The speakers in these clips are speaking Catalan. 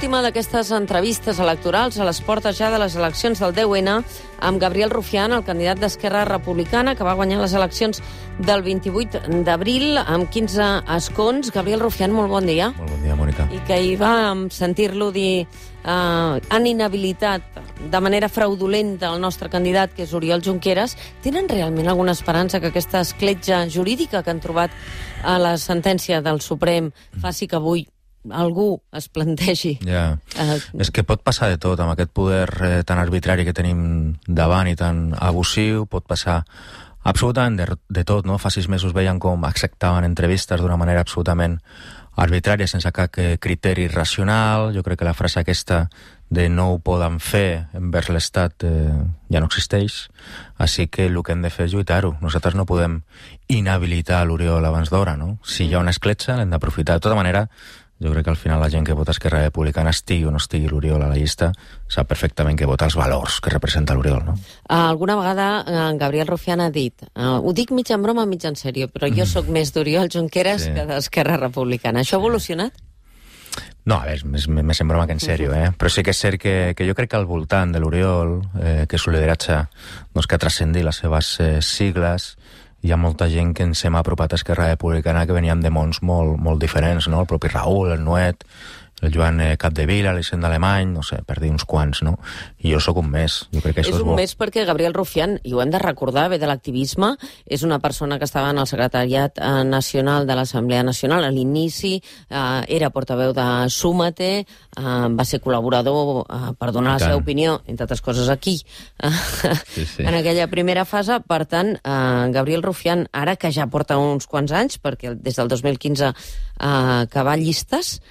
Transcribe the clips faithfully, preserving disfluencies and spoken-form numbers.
l'última d'aquestes entrevistes electorals a les portes ja de les eleccions del deu ene amb Gabriel Rufián, el candidat d'Esquerra Republicana, que va guanyar les eleccions del vint-i-vuit d'abril amb quinze escons. Gabriel Rufián, molt bon dia. Molt bon dia, Mònica. I que hi va sentir-lo dir eh, han inhabilitat de manera fraudulenta el nostre candidat, que és Oriol Junqueras. Tenen realment alguna esperança que aquesta escletxa jurídica que han trobat a la sentència del Suprem faci que avui algú es plantegi? Ja. Uh, és que pot passar de tot, amb aquest poder eh, tan arbitrari que tenim davant i tan abusiu, pot passar absolutament de, de tot, no? Fa sis mesos veien com acceptaven entrevistes d'una manera absolutament arbitrària, sense cap criteri racional. Jo crec que la frase aquesta de no ho poden fer envers l'Estat eh, ja no existeix, així que el que hem de fer és lluitar-ho. Nosaltres no podem inhabilitar l'Oriol abans d'hora, no? Si hi ha una escletxa, l'hem d'aprofitar. De tota manera, jo crec que al final la gent que vota Esquerra Republicana, estigui o no estigui l'Oriol a la llista, sap perfectament que vota els valors que representa l'Oriol, no? Alguna vegada en Gabriel Rufián ha dit, uh, ho dic mig en broma, mig en sèrio, però jo sóc més d'Oriol Junqueras sí. que d'Esquerra Republicana. Això ha evolucionat? No, a veure, més, més en broma que en sèrio, eh? Però sí que és cert que, que jo crec que al voltant de l'Oriol, eh, que és un lideratge doncs, que ha transcendit les seves eh, sigles, hi ha molta gent que ens hem apropat a Esquerra Republicana que veníem de mons molt, molt diferents, no? El propi Raül, el Nuet, el Joan Capdevila, l'Hisenda Alemany, no sé, per dir uns quants, no? I jo sóc un més. Jo crec que això és és un bo. més perquè Gabriel Rufián, i ho hem de recordar, ve de l'activisme, és una persona que estava en el secretariat eh, nacional de l'Assemblea Nacional a l'inici, eh, era portaveu de Súmate, eh, va ser col·laborador eh, per donar la seva opinió, entre altres coses aquí, eh, sí, sí. en aquella primera fase. Per tant, eh, Gabriel Rufián, ara que ja porta uns quants anys, perquè des del dos mil quinze eh, que va a llistes,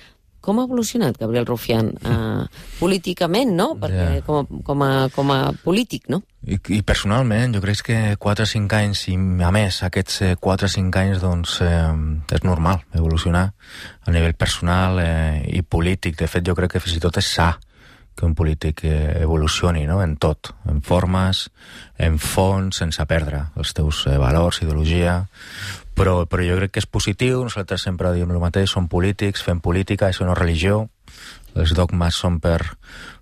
com ha evolucionat Gabriel Rufián eh, políticament, no? Perquè yeah. com, a, com, a, com a polític, no? I, I personalment, jo crec que quatre o cinc anys, i a més, aquests quatre o cinc anys, doncs, eh, és normal evolucionar a nivell personal eh, i polític. De fet, jo crec que fins i tot és sa que un polític eh, evolucioni, no? En tot, en formes, en fons, sense perdre els teus eh, valors, ideologia. Però, però jo crec que és positiu, nosaltres sempre diem el mateix, som polítics, fem política, això no és religió, els dogmes són per,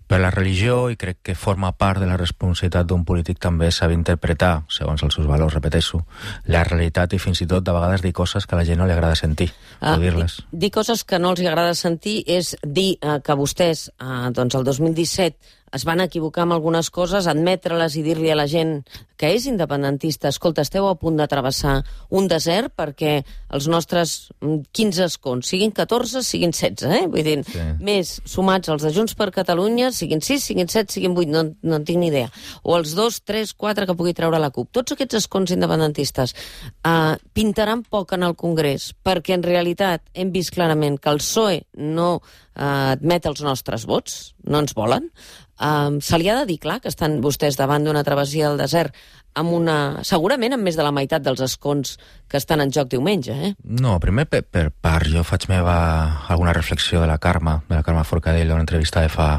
per la religió i crec que forma part de la responsabilitat d'un polític també saber interpretar, segons els seus valors, repeteixo, la realitat i fins i tot de vegades dir coses que a la gent no li agrada sentir, ah, o dir-les. Dir coses que no els agrada sentir és dir eh, que vostès, eh, doncs el dos mil disset, es van equivocar amb algunes coses, admetre-les i dir-li a la gent que és independentista, escolta, esteu a punt de travessar un desert perquè els nostres quinze escons siguin catorze, siguin setze, eh? Vull dir, sí. més sumats als de Junts per Catalunya, siguin sis, siguin set, siguin vuit, no, no en tinc ni idea. O els dos, tres, quatre que pugui treure la CUP. Tots aquests escons independentistes eh, pintaran poc en el Congrés, perquè en realitat hem vist clarament que el P S O E no eh, admet els nostres vots, no ens volen. Um, se li ha de dir clar que estan vostès davant d'una travessia del desert amb una, segurament amb més de la meitat dels escons que estan en joc diumenge, eh? No, primer per, per part, jo faig meva alguna reflexió de la Carme, de la Carme Forcadell, d'una entrevista de fa...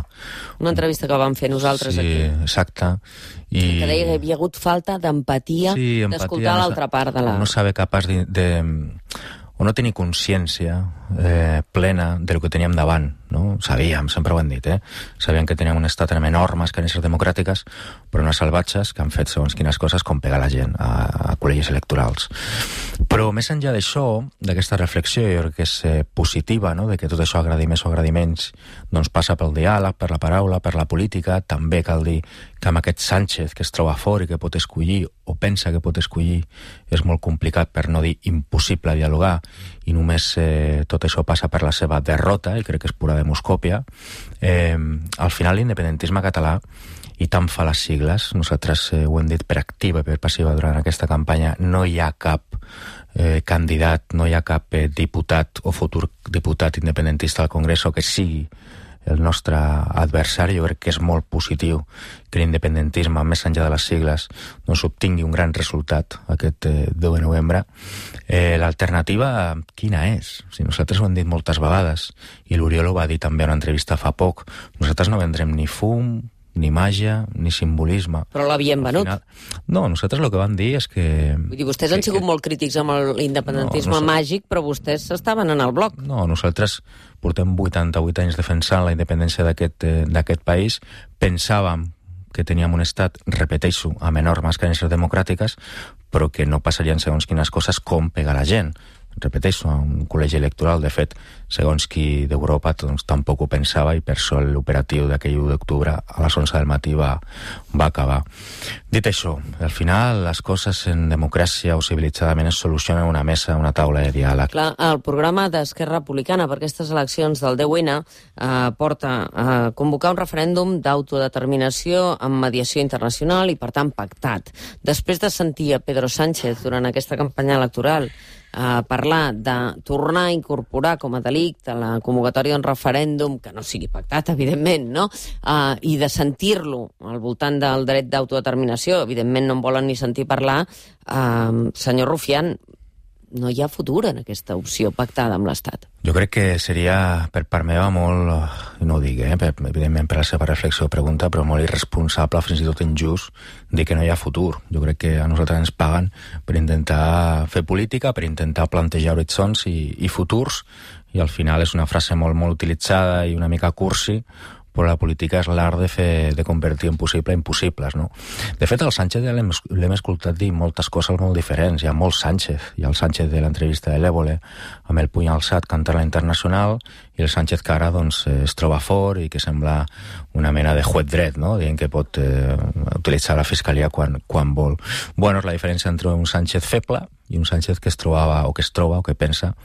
Una entrevista que vam fer nosaltres sí, aquí. Sí, exacte. I... Que deia que hi havia hagut falta d'empatia, sí, d'escoltar no l'altra part de la... No saber capaç de... de o no tenir consciència eh, plena del que teníem davant, no? Sabíem, sempre ho hem dit, eh? Sabíem que teníem un estat amb enormes carències democràtiques, però unes salvatges que han fet segons quines coses com pegar la gent a, a col·legis electorals. Però més enllà d'això, d'aquesta reflexió, jo crec que és eh, positiva, no? De que tot això agradi més o agradi menys, doncs passa pel diàleg, per la paraula, per la política. També cal dir que amb aquest Sánchez que es troba fora i que pot escollir o pensa que pot escollir és molt complicat, per no dir impossible, dialogar, i només eh, tot això passa per la seva derrota, i crec que és pura demoscòpia. Eh, al final l'independentisme català, i tant fa les sigles, nosaltres eh, ho hem dit per activa i per passiva durant aquesta campanya, no hi ha cap eh, candidat, no hi ha cap eh, diputat o futur diputat independentista al Congrés o que sigui el nostre adversari. Jo crec que és molt positiu que l'independentisme, més enllà de les sigles, doncs obtingui un gran resultat aquest eh, deu de novembre. Eh, L'alternativa, quina és? Si nosaltres ho hem dit moltes vegades, i l'Oriol ho va dir també en una entrevista fa poc, nosaltres no vendrem ni fum, ni màgia, ni simbolisme. Però l'havien venut. Final... No, nosaltres el que vam dir és que... Vull dir, vostès han sigut que... molt crítics amb l'independentisme no, no màgic, però vostès estaven en el bloc. No, nosaltres portem vuitanta-vuit anys defensant la independència d'aquest d'aquest país. Pensàvem que teníem un estat, repeteixo, amb enormes carències democràtiques, però que no passarien segons quines coses com pegar la gent. Repeteixo, un col·legi electoral, de fet, segons qui d'Europa doncs, tampoc ho pensava i per això l'operatiu d'aquell u d'octubre a les onze del matí va, va acabar. Dit això, al final les coses en democràcia o civilitzadament es solucionen en una mesa, una taula de diàleg. Clar, el programa d'Esquerra Republicana per aquestes eleccions del deu ene eh, porta a convocar un referèndum d'autodeterminació amb mediació internacional i, per tant, pactat. Després de sentir a Pedro Sánchez durant aquesta campanya electoral a parlar de tornar a incorporar com a delicte la convocatòria d'un referèndum que no sigui pactat, evidentment, no? Uh, i de sentir-lo al voltant del dret d'autodeterminació, evidentment no en volen ni sentir parlar, uh, senyor Rufián, no hi ha futur en aquesta opció pactada amb l'Estat. Jo crec que seria, per part meva, molt, no ho dic, eh, per, evidentment per la seva reflexió o pregunta, però molt irresponsable, fins i tot injust, dir que no hi ha futur. Jo crec que a nosaltres ens paguen per intentar fer política, per intentar plantejar horitzons i, i futurs, i al final és una frase molt, molt utilitzada i una mica cursi, però la política és l'art de, fer, de convertir en possible impossibles, no? De fet, el Sánchez ja l'hem escoltat dir moltes coses molt diferents. Hi ha molt Sánchez. Hi ha el Sánchez de l'entrevista de l'Évole, amb el puny alçat cantant la Internacional, i el Sánchez que ara doncs, es troba fort i que sembla una mena de juez dret, no? Dient que pot eh, utilitzar la fiscalia quan, quan vol. Bueno, és la diferència entre un Sánchez feble i un Sánchez que es trobava, o que es troba, o que pensa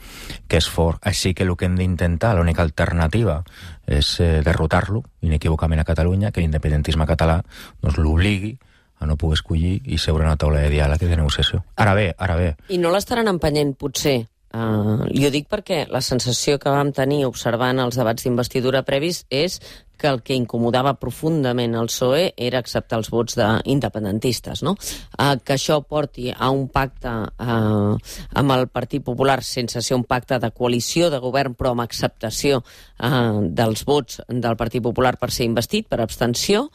que és fort. Així que el que hem d'intentar, l'única alternativa, és eh, derrotar-lo, inequívocament a Catalunya, que l'independentisme català doncs, l'obligui a no poder escollir i seure en una taula de diàleg i de negociació. Ara bé, ara bé. I no l'estaran empenyent, potser? Uh, li ho dic perquè la sensació que vam tenir observant els debats d'investidura previs és que el que incomodava profundament el P S O E era acceptar els vots d'independentistes, no? Uh, que això porti a un pacte uh, amb el Partit Popular sense ser un pacte de coalició de govern, però amb acceptació uh, dels vots del Partit Popular per ser investit, per abstenció,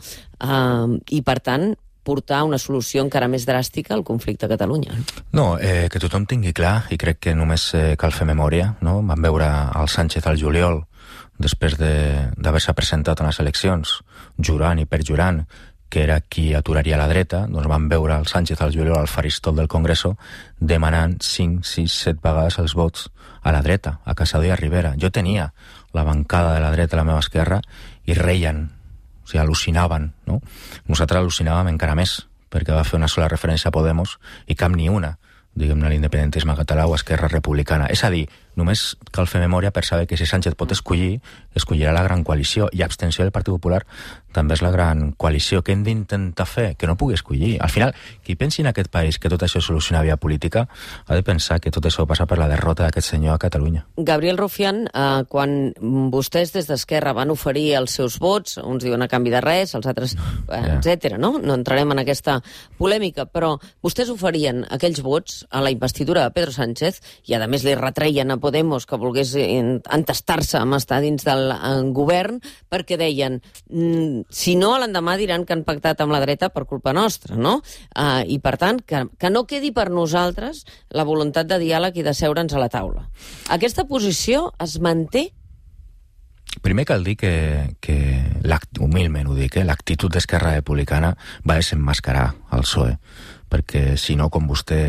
uh, i per tant portar una solució encara més dràstica al conflicte a Catalunya. No, eh, que tothom tingui clar, i crec que només eh, cal fer memòria, no? Vam veure el Sánchez al juliol, després d'haver-se presentat en les eleccions, jurant i perjurant que era qui aturaria la dreta, doncs vam veure el Sánchez al juliol al faristol del Congreso demanant cinc, sis, set vegades els vots a la dreta, a Casado i a Rivera. Jo tenia la bancada de la dreta a la meva esquerra i reien, o sigui, al·lucinaven, no? Nosaltres al·lucinàvem encara més, perquè va fer una sola referència a Podemos i cap ni una, diguem-ne, a l'independentisme català o a Esquerra Republicana. És a dir, només cal fer memòria per saber que si Sánchez pot escollir, escollirà la gran coalició, i abstenció del Partit Popular també és la gran coalició. Què hem d'intentar fer? Que no pugui escollir. Al final, qui pensi en aquest país que tot això es soluciona via política, ha de pensar que tot això passa per la derrota d'aquest senyor a Catalunya. Gabriel Rufián, eh, quan vostès des d'Esquerra van oferir els seus vots, uns diuen a canvi de res, els altres, eh, yeah. etcètera, no? No entrarem en aquesta polèmica, però vostès oferien aquells vots a la investidura de Pedro Sánchez i, a més, li retreien a Podemos que volgués entestar-se amb estar dins del govern, perquè deien, si no, l'endemà diran que han pactat amb la dreta per culpa nostra, no? Uh, I, per tant, que, que no quedi per nosaltres la voluntat de diàleg i de seure'ns a la taula. Aquesta posició es manté? Primer cal dir que, que humilment ho dic, eh, l'actitud d'Esquerra Republicana va desemmascarar el P S O E, perquè si no, com vostè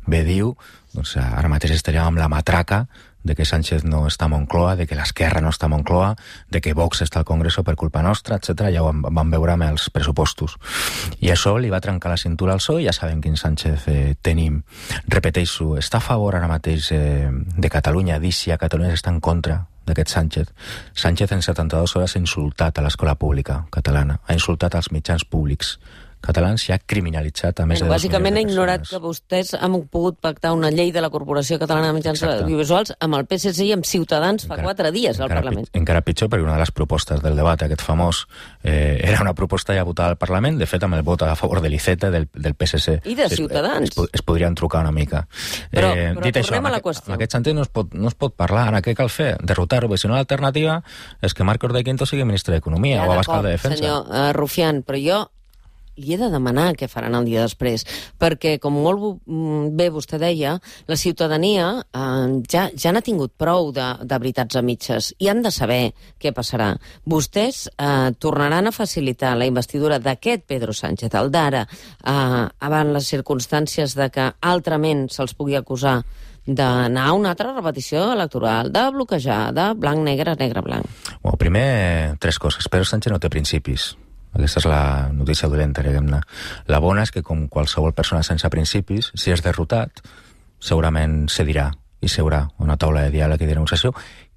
bé diu, doncs ara mateix estaríem amb la matraca de que Sánchez no està a Moncloa, de que l'Esquerra no està a Moncloa, de que Vox està al Congreso per culpa nostra, etcètera. Ja ho vam veure amb els pressupostos. I això li va trencar la cintura al P S O E, ja sabem quin Sánchez eh, tenim. Repeteixo, està a favor ara mateix eh, de Catalunya, dir si a Catalunya està en contra d'aquest Sánchez. Sánchez en setanta-dues hores ha insultat a l'escola pública catalana, ha insultat als mitjans públics catalans i ha criminalitzat a més bueno, de dos milions de persones. Bàsicament ha ignorat que vostès han pogut pactar una llei de la Corporació Catalana de Mitjans Audiovisuals amb el P S C i amb Ciutadans fa encara, quatre dies al Parlament. Pit, encara pitjor, perquè una de les propostes del debat, aquest famós, eh, era una proposta ja votada al Parlament, de fet amb el vot a favor de l'Iceta del, del P S C. I de Ciutadans. Es, es, es podrien trucar una mica. Però, eh, però dit tornem això, a la aquest, qüestió. En aquest sentit no es pot, no es pot parlar. Ara què cal fer? Derrotar-ho, perquè si no l'alternativa és que Marcos de Quinto sigui ministre d'Economia ja, o Abascal de Defensa. Senyor uh, Rufián, però jo li he de demanar què faran el dia després, perquè, com molt bé vostè deia, la ciutadania eh, ja, ja n'ha tingut prou de, de veritats a mitges i han de saber què passarà. Vostès eh, tornaran a facilitar la investidura d'aquest Pedro Sánchez, el d'ara, eh, abans les circumstàncies de que altrament se'ls pugui acusar d'anar a una altra repetició electoral, de bloquejar, de blanc, negre, negre, blanc. Bueno, primer, tres coses. Pedro Sánchez no té principis. Aquesta és la notícia dolenta, diguem-ne. La bona és que, com qualsevol persona sense principis, si és derrotat, segurament cedirà i seurà una taula de diàleg i de negociació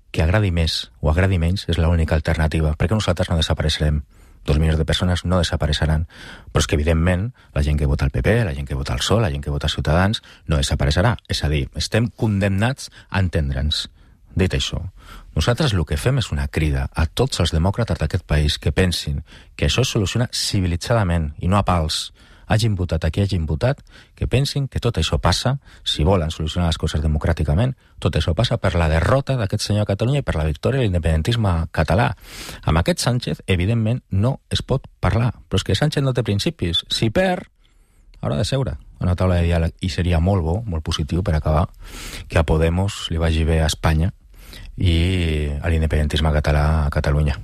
que agradi més o agradi menys és l'única alternativa, perquè nosaltres no desapareixerem. Dos milions de persones no desapareixeran, però és que, evidentment, la gent que vota el P P, la gent que vota el P S O E, la gent que vota Ciutadans, no desapareixerà. És a dir, estem condemnats a entendre'ns. Dit això, nosaltres el que fem és una crida a tots els demòcrates d'aquest país que pensin que això es soluciona civilitzadament i no a pals. Hagin votat a qui hagin votat, que pensin que tot això passa, si volen solucionar les coses democràticament, tot això passa per la derrota d'aquest senyor a Catalunya i per la victòria de l'independentisme català. Amb aquest Sánchez, evidentment, no es pot parlar, però és que Sánchez no té principis. Si perd, haurà de seure a una taula de diàleg i seria molt bo, molt positiu per acabar, que a Podemos li vagi bé a Espanya i a l'independentisme català a Catalunya.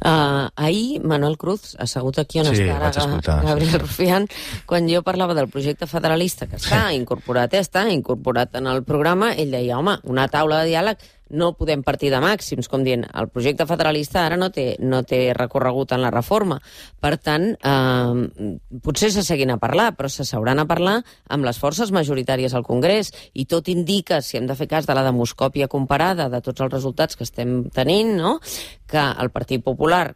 Uh, ahir Manuel Cruz, assegut aquí on sí, està ara escoltar, Gabriel sí. Rufián, quan jo parlava del projecte federalista que està sí. incorporat, està incorporat en el programa, ell deia, home, una taula de diàleg no podem partir de màxims, com dient, el projecte federalista ara no té, no té recorregut en la reforma. Per tant, eh, potser se seguin a parlar, però se s'hauran a parlar amb les forces majoritàries al Congrés, i tot indica, si hem de fer cas de la demoscòpia comparada de tots els resultats que estem tenint, no?, que el Partit Popular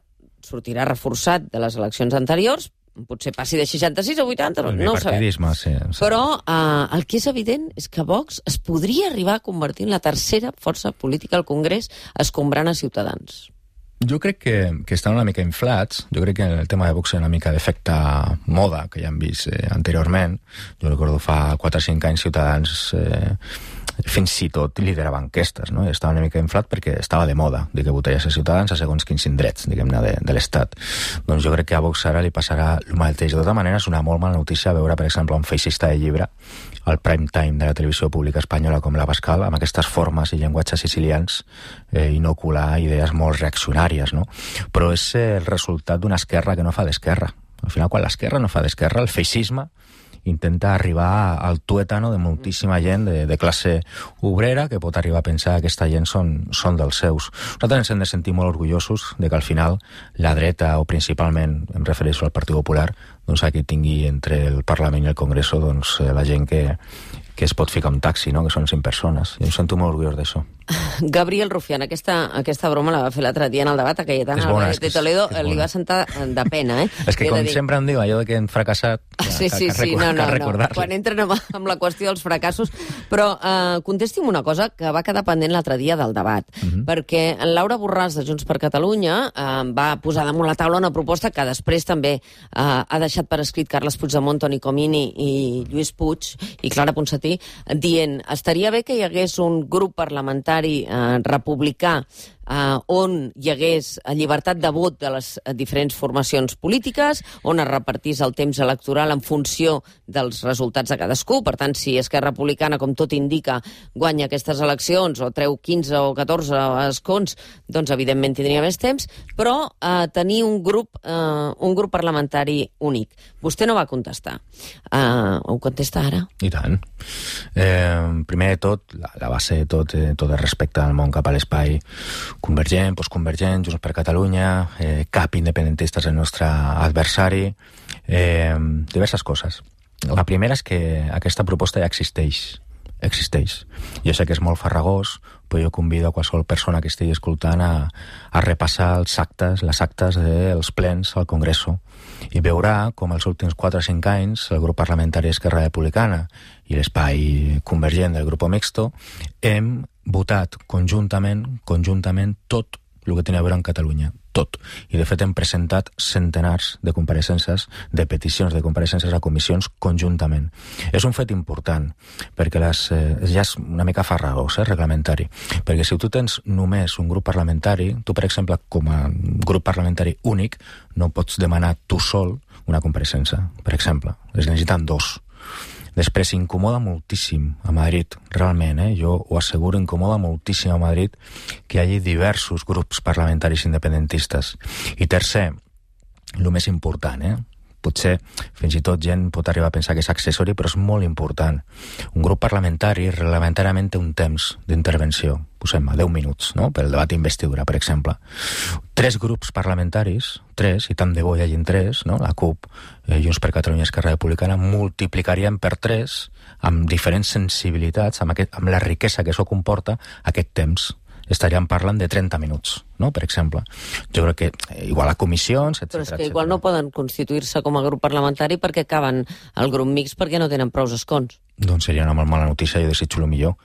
sortirà reforçat de les eleccions anteriors, potser passi de seixanta-sis a vuitanta, no, no ho sabem. Sí, sí. Però eh, el que és evident és que Vox es podria arribar a convertir en la tercera força política al Congrés, escombrant a Ciutadans. Jo crec que, que estan una mica inflats. Jo crec que el tema de Vox és una mica d'efecte moda, que ja hem vist eh, anteriorment. Jo recordo fa quatre o cinc anys Ciutadans eh, fins i tot liderava enquestes, no? Estava una mica inflat perquè estava de moda dir que votaries a Ciutadans a segons quins indrets, diguem-ne, de, de l'Estat. Doncs jo crec que a Vox ara li passarà el mateix. De tota manera, és una molt mala notícia veure, per exemple, un feixista de llibre al prime time de la televisió pública espanyola com l'Abascal, amb aquestes formes i llenguatges sicilians, eh, inocular idees molt reaccionàries, no? Però és el resultat d'una esquerra que no fa d'esquerra. Al final, quan l'esquerra no fa d'esquerra, el feixisme intenta arribar al tuétano de moltíssima gent de, de classe obrera que pot arribar a pensar que aquesta gent són, són dels seus. Nosaltres ens hem de sentir molt orgullosos de que al final la dreta, o principalment em refereixo al Partit Popular, doncs aquí tingui entre el Parlament i el Congreso doncs, la gent que, que es pot ficar un taxi, no? Que són cinc persones. I em sento molt orgullós d'això. Gabriel Rufián, aquesta, aquesta broma la va fer l'altre dia en el debat a Cayetana Álvarez de Toledo, li va sentar de pena, eh? És que, com dir... sempre em diu, allò de que hem fracassat, que, sí, sí, que, que, sí, no, no, no. Quan li. entren amb, amb la qüestió dels fracassos. Però eh, contesti'm una cosa que va quedar pendent l'altre dia del debat, uh -huh. perquè en Laura Borràs, de Junts per Catalunya, eh, va posar damunt la taula una proposta que després també eh, ha deixat per escrit Carles Puigdemont, Toni Comín i Lluís Puig i Clara Ponsatí, dient, estaria bé que hi hagués un grup parlamentari eh, republicà Uh, on hi hagués llibertat de vot de les diferents formacions polítiques, on es repartís el temps electoral en funció dels resultats de cadascú. Per tant, si Esquerra Republicana, com tot indica, guanya aquestes eleccions o treu quinze o catorze escons, doncs evidentment tindria més temps, però uh, tenir un grup, uh, un grup parlamentari únic. Vostè no va contestar. Uh, ho contesta ara? I tant. Eh, primer de tot, la, la base de tot, eh, tot el respecte al món cap a l'espai convergent, postconvergent, Junts per Catalunya, eh, cap independentista és el nostre adversari, eh, diverses coses. La primera és que aquesta proposta ja existeix existeix. Jo sé que és molt farragós, però jo convido a qualsevol persona que estigui escoltant a, a repassar els actes, les actes dels plens al Congreso, i veurà com els últims quatre o cinc anys el grup parlamentari Esquerra Republicana i l'espai convergent del grup mixto hem votat conjuntament, conjuntament tot el que tenia a veure amb Catalunya, tot. I de fet hem presentat centenars de compareixences, de peticions de compareixences a comissions conjuntament. És un fet important, perquè les, eh, ja és una mica farragós, eh, reglamentari, perquè si tu tens només un grup parlamentari, tu, per exemple, com a grup parlamentari únic, no pots demanar tu sol una compareixença, per exemple. Es necessiten dos. Després, incomoda moltíssim a Madrid, realment, eh? Jo ho asseguro, incomoda moltíssim a Madrid que hi hagi diversos grups parlamentaris independentistes. I tercer, el més important, eh? Potser fins i tot gent pot arribar a pensar que és accessori, però és molt important. Un grup parlamentari reglamentàriament té un temps d'intervenció, posem a deu minuts, no? Per el debat d'investidura, per exemple. Tres grups parlamentaris, tres, i tant de bo hi hagin tres, no? La CUP, eh, Junts per Catalunya i Esquerra Republicana, multiplicarien per tres, amb diferents sensibilitats, amb, aquest, amb la riquesa que això comporta, aquest temps. Estaríem parlant de trenta minuts, no? Per exemple. Jo crec que igual a comissions, etcètera. Però és que igual no poden constituir-se com a grup parlamentari perquè acaben el grup mixt perquè no tenen prous escons. Doncs seria una molt mala notícia, jo desitjo el millor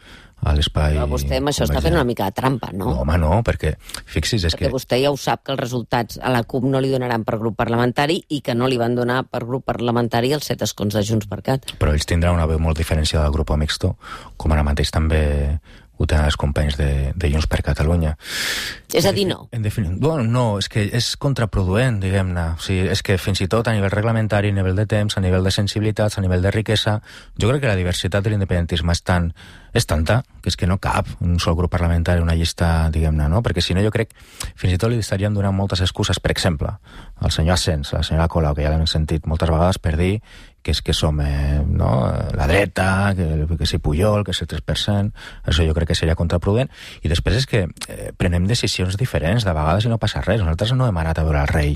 a l'espai... Però vostè amb això està fent una mica de trampa, no? No, home, no, perquè fixi's, és perquè que... Perquè vostè ja ho sap que els resultats a la CUP no li donaran per grup parlamentari i que no li van donar per grup parlamentari els set escons de Junts per Cat. Però ells tindran una veu molt diferenciada del grup mixto, com ara mateix també ho tenen els companys de, de Junts per Catalunya. És a dir, no? En definitiva, bueno, no, és que és contraproduent, diguem-ne. O sigui, és que fins i tot a nivell reglamentari, a nivell de temps, a nivell de sensibilitats, a nivell de riquesa, jo crec que la diversitat de l'independentisme és tan, és tanta que és que no cap un sol grup parlamentari, una llista, diguem-ne, no? Perquè si no jo crec, fins i tot li estaríem donant moltes excuses, per exemple, al senyor Asens, a la senyora Colau, que ja l'hem sentit moltes vegades per dir que és que som eh, no, la dreta, que, que si Pujol, que és el tres per cent, això jo crec que seria contraprudent. I després és que eh, prenem decisions diferents, de vegades i no passa res. Nosaltres no hem anat a veure el rei,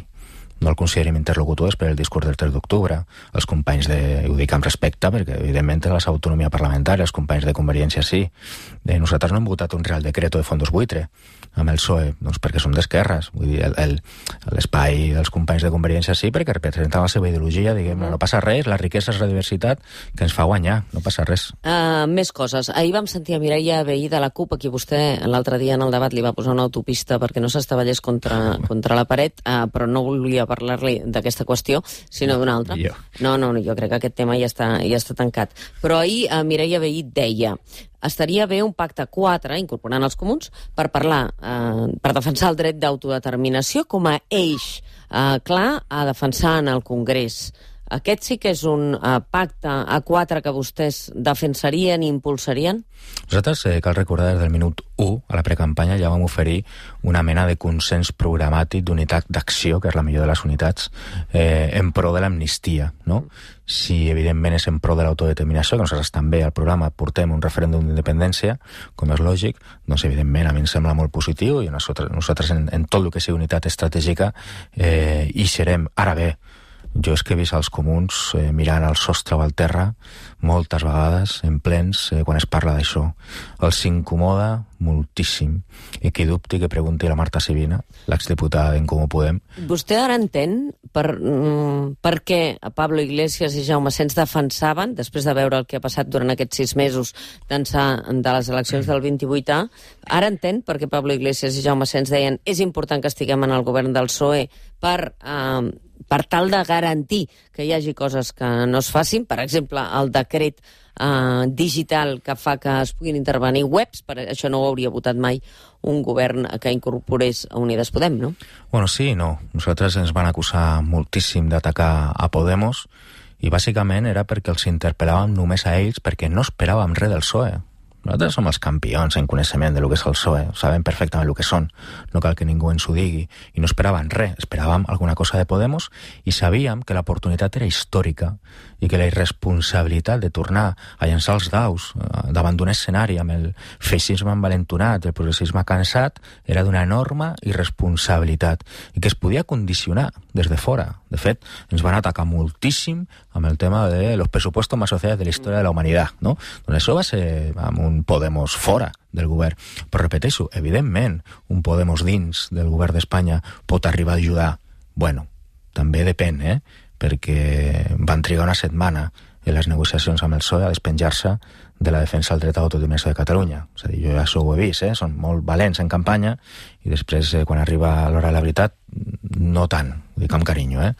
no el considerem interlocutor per el discurs del tres d'octubre. Els companys de... ho dic amb respecte, perquè evidentment té la seva autonomia parlamentària, els companys de Convergència sí. De nosaltres no hem votat un real decreto de fondos buitre amb el P S O E, doncs perquè som d'esquerres. Vull dir, l'espai dels companys de Convergència sí, perquè representen la seva ideologia, diguem, no passa res, la riquesa és la diversitat que ens fa guanyar, no passa res. Uh, més coses. Ahir vam sentir a Mireia Vehí de la CUP, a qui vostè l'altre dia en el debat li va posar una autopista perquè no s'estavellés contra, contra la paret, uh, però no volia parlar-li d'aquesta qüestió, sinó d'una altra. Jo. No, no, jo crec que aquest tema ja està, ja està tancat. Però ahir uh, Mireia Vehí deia: estaria bé un pacte quatre, incorporant els comuns, per parlar, eh, per defensar el dret d'autodeterminació com a eix eh, clar a defensar en el Congrés. Aquest sí que és un uh, pacte a quatre que vostès defensarien i impulsarien? Nosaltres, eh, cal recordar, des del minut u a la precampanya ja vam oferir una mena de consens programàtic d'unitat d'acció, que és la millor de les unitats, eh, en pro de l'amnistia, no? Si evidentment és en pro de l'autodeterminació, que nosaltres també al programa portem un referèndum d'independència, com és lògic, doncs evidentment a mi em sembla molt positiu i nosaltres, nosaltres en, en tot el que sigui unitat estratègica eh, hi serem. Ara bé, jo és que he vist els comuns eh, mirant al sostre o al terra moltes vegades en plens eh, quan es parla d'això. Els incomoda moltíssim. I qui dubti que pregunti a la Marta Sibina, l'exdiputada d'en Comú Podem. Vostè ara entén per, mm, per què Pablo Iglesias i Jaume Asens defensaven, després de veure el que ha passat durant aquests sis mesos d'ençà de les eleccions del vint-i-vuit A, ara entén per què Pablo Iglesias i Jaume Asens deien és important que estiguem en el govern del P S O E per... Eh, per tal de garantir que hi hagi coses que no es facin, per exemple, el decret eh, digital que fa que es puguin intervenir webs, per això no ho hauria votat mai un govern que incorporés a Unides Podem, no? Bueno, sí i no. Nosaltres ens van acusar moltíssim d'atacar a Podemos i bàsicament era perquè els interpel·làvem només a ells perquè no esperàvem res del P S O E. Nosaltres som els campions en coneixement de lo que és el P S O E, sabem perfectament el que són, no cal que ningú ens ho digui, i no esperàvem res, esperàvem alguna cosa de Podemos i sabíem que l'oportunitat era històrica i que la irresponsabilitat de tornar a llançar els daus davant d'un escenari amb el feixisme envalentonat i el progressisme cansat era d'una enorme irresponsabilitat i que es podia condicionar des de fora. De fet, ens van atacar moltíssim amb el tema de los presupuestos más sociales de la història de la humanitat, no? Doncs això va ser amb un Podemos fora del govern. Però repeteixo, evidentment, un Podemos dins del govern d'Espanya pot arribar a ajudar. Bueno, també depèn, eh? Perquè van trigar una setmana en les negociacions amb el P S O E a despenjar-se de la defensa del dret a l'autodeterminació de Catalunya. És a dir, jo ja això ho he vist, eh? Són molt valents en campanya i després, eh, quan arriba l'hora de la veritat, no tant, ho dic amb carinyo, eh?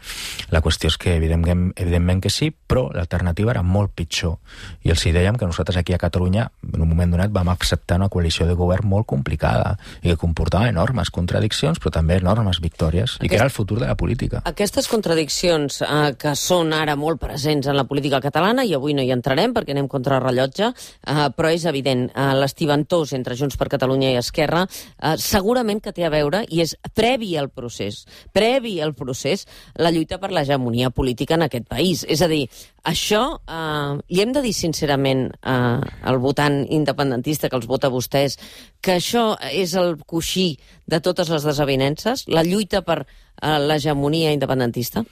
La qüestió és que evidentment, evidentment que sí, però l'alternativa era molt pitjor. I els hi dèiem que nosaltres aquí a Catalunya, en un moment donat, vam acceptar una coalició de govern molt complicada i que comportava enormes contradiccions, però també enormes victòries, Aquest... i que era el futur de la política. Aquestes contradiccions eh, que són ara molt presents en la política catalana, i avui no hi entrarem perquè anem contra rellotge, eh, però és evident, eh, l'estiventós entre Junts per Catalunya i Esquerra eh, segurament que té a veure, i és previ al procés, previ al procés, la lluita per l'hegemonia política en aquest país. És a dir, això eh, li hem de dir sincerament eh, al votant independentista que els vota vostès, que això és el coixí de totes les desavinences, la lluita per eh, l'hegemonia independentista?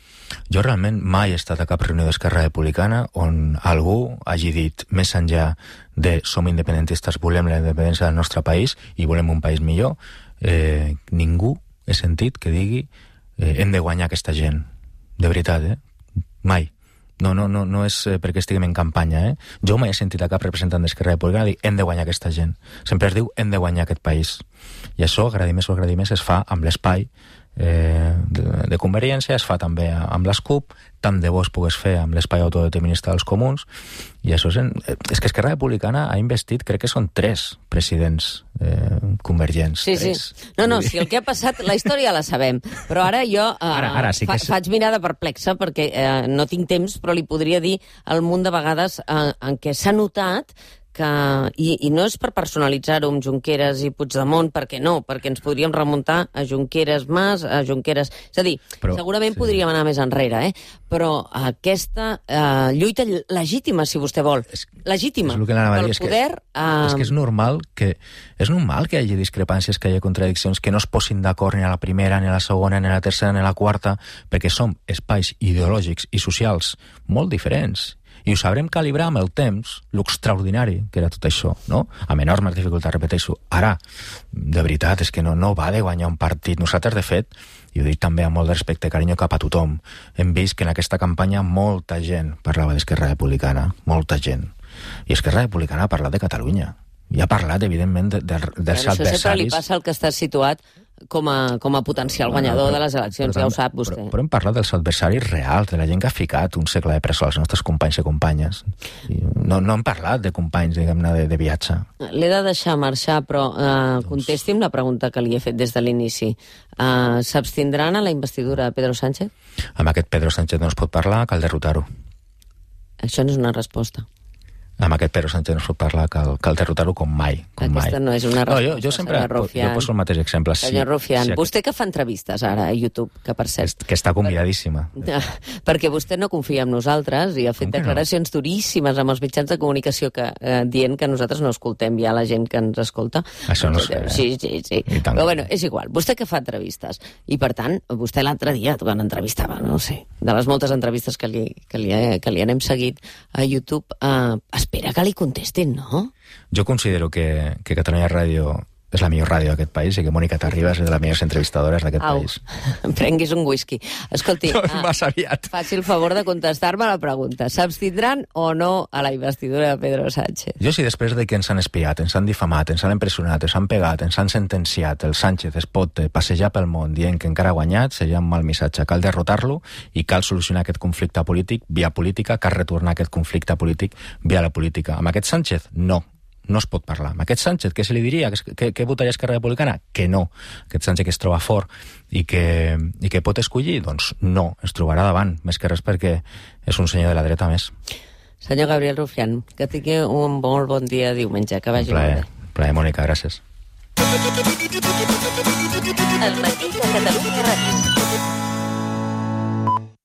Jo realment mai he estat a cap reunió d'Esquerra Republicana on algú hagi dit, més enllà de som independentistes, volem la independència del nostre país i volem un país millor, eh, ningú he sentit que digui eh, hem de guanyar aquesta gent. De veritat, eh? Mai. No, no, no, no és perquè estiguem en campanya, eh? Jo mai he sentit a cap representant d'Esquerra Republicana dir hem de guanyar aquesta gent. Sempre es diu hem de guanyar aquest país. I això, agradi més o agradi més, es fa amb l'espai eh, de, de Convergència, es fa també amb les CUP, tant de bo es pogués fer amb l'espai autodeterminista dels comuns, i això és, en, és que Esquerra Republicana ha investit, crec que són tres presidents eh, convergents. Sí, tres. sí. No, no, si el que ha passat, la història la sabem, però ara jo eh, ara, ara sí que fa, és... faig mirada perplexa perquè eh, no tinc temps, però li podria dir el munt de vegades eh, en què s'ha notat que, i, i no és per personalitzar-ho amb Junqueras i Puigdemont, perquè no, perquè ens podríem remuntar a Junqueras Mas, a Junqueras... És a dir, però, segurament sí. podríem anar més enrere, eh? Però aquesta eh, lluita legítima, si vostè vol, és, legítima, és pel és poder... Que, eh... És que és normal que és normal que hi hagi discrepàncies, que hi hagi contradiccions, que no es posin d'acord ni a la primera, ni a la segona, ni a la tercera, ni a la quarta, perquè som espais ideològics i socials molt diferents. I ho sabrem calibrar amb el temps, l'extraordinari que era tot això, no? Amb enormes dificultats, repeteixo. Ara, de veritat, és que no, no va de guanyar un partit. Nosaltres, de fet, i ho dic també amb molt de respecte i carinyo cap a tothom, hem vist que en aquesta campanya molta gent parlava d'Esquerra Republicana, molta gent. I Esquerra Republicana ha parlat de Catalunya. I ha parlat, evidentment, de, de, dels ja, adversaris... Això sempre li passa al que està situat com a, com a potencial guanyador però, de les eleccions, però, ja ho sap vostè. Però, però hem parlat dels adversaris reals, de la gent que ha ficat un segle de presó als nostres companys i companyes. I no, no hem parlat de companys, diguem-ne, de, de viatge. L'he de deixar marxar, però eh, contesti'm la pregunta que li he fet des de l'inici. Eh, S'abstindran a la investidura de Pedro Sánchez? Amb aquest Pedro Sánchez no es pot parlar, cal derrotar-ho. Això no és una resposta. Amb aquest Pedro Sánchez no es pot parlar, cal, cal derrotar-ho com mai. Com Aquesta mai. no és una resposta, no, jo, jo sempre jo poso el mateix exemple. Senyor sí, Rufián, sí, vostè que fa entrevistes ara a YouTube, que per cert... Que està convidadíssima. Per, perquè vostè no confia en nosaltres i ha fet declaracions no? duríssimes amb els mitjans de comunicació que, eh, dient que nosaltres no escoltem ja la gent que ens escolta. Això no sé. Sí, sí, sí. Però bueno, és igual. Vostè que fa entrevistes. I per tant, vostè l'altre dia, quan entrevistava, no sé, de les moltes entrevistes que li, que li, que li anem seguit a YouTube, eh, espera que li contestin, no? Jo considero que, que Catalunya Ràdio és la millor ràdio d'aquest país i que Mònica Terribas és de les millors entrevistadores d'aquest país. Prenguis un whisky. Escolti, no, ah, aviat. faci el favor de contestar-me la pregunta. S'abstindran o no a la investidura de Pedro Sánchez? Jo, si després de que ens han espiat, ens han difamat, ens han empresonat, ens han pegat, ens han sentenciat, el Sánchez es pot passejar pel món dient que encara ha guanyat, seria un mal missatge. Cal derrotar-lo i cal solucionar aquest conflicte polític via política, cal retornar aquest conflicte polític via la política. Amb aquest Sánchez, no. No es pot parlar. Amb aquest Sánchez, què se li diria? Què, què votaria Esquerra Republicana? Que no. Aquest Sánchez que es troba fort i que, i que pot escollir? Doncs no, es trobarà davant, més que res perquè és un senyor de la dreta més. Senyor Gabriel Rufián, que tingui un molt bon dia diumenge, que vagi molt bé. Un plaer, Mònica, gràcies. El matí de Catalunya Ràdio.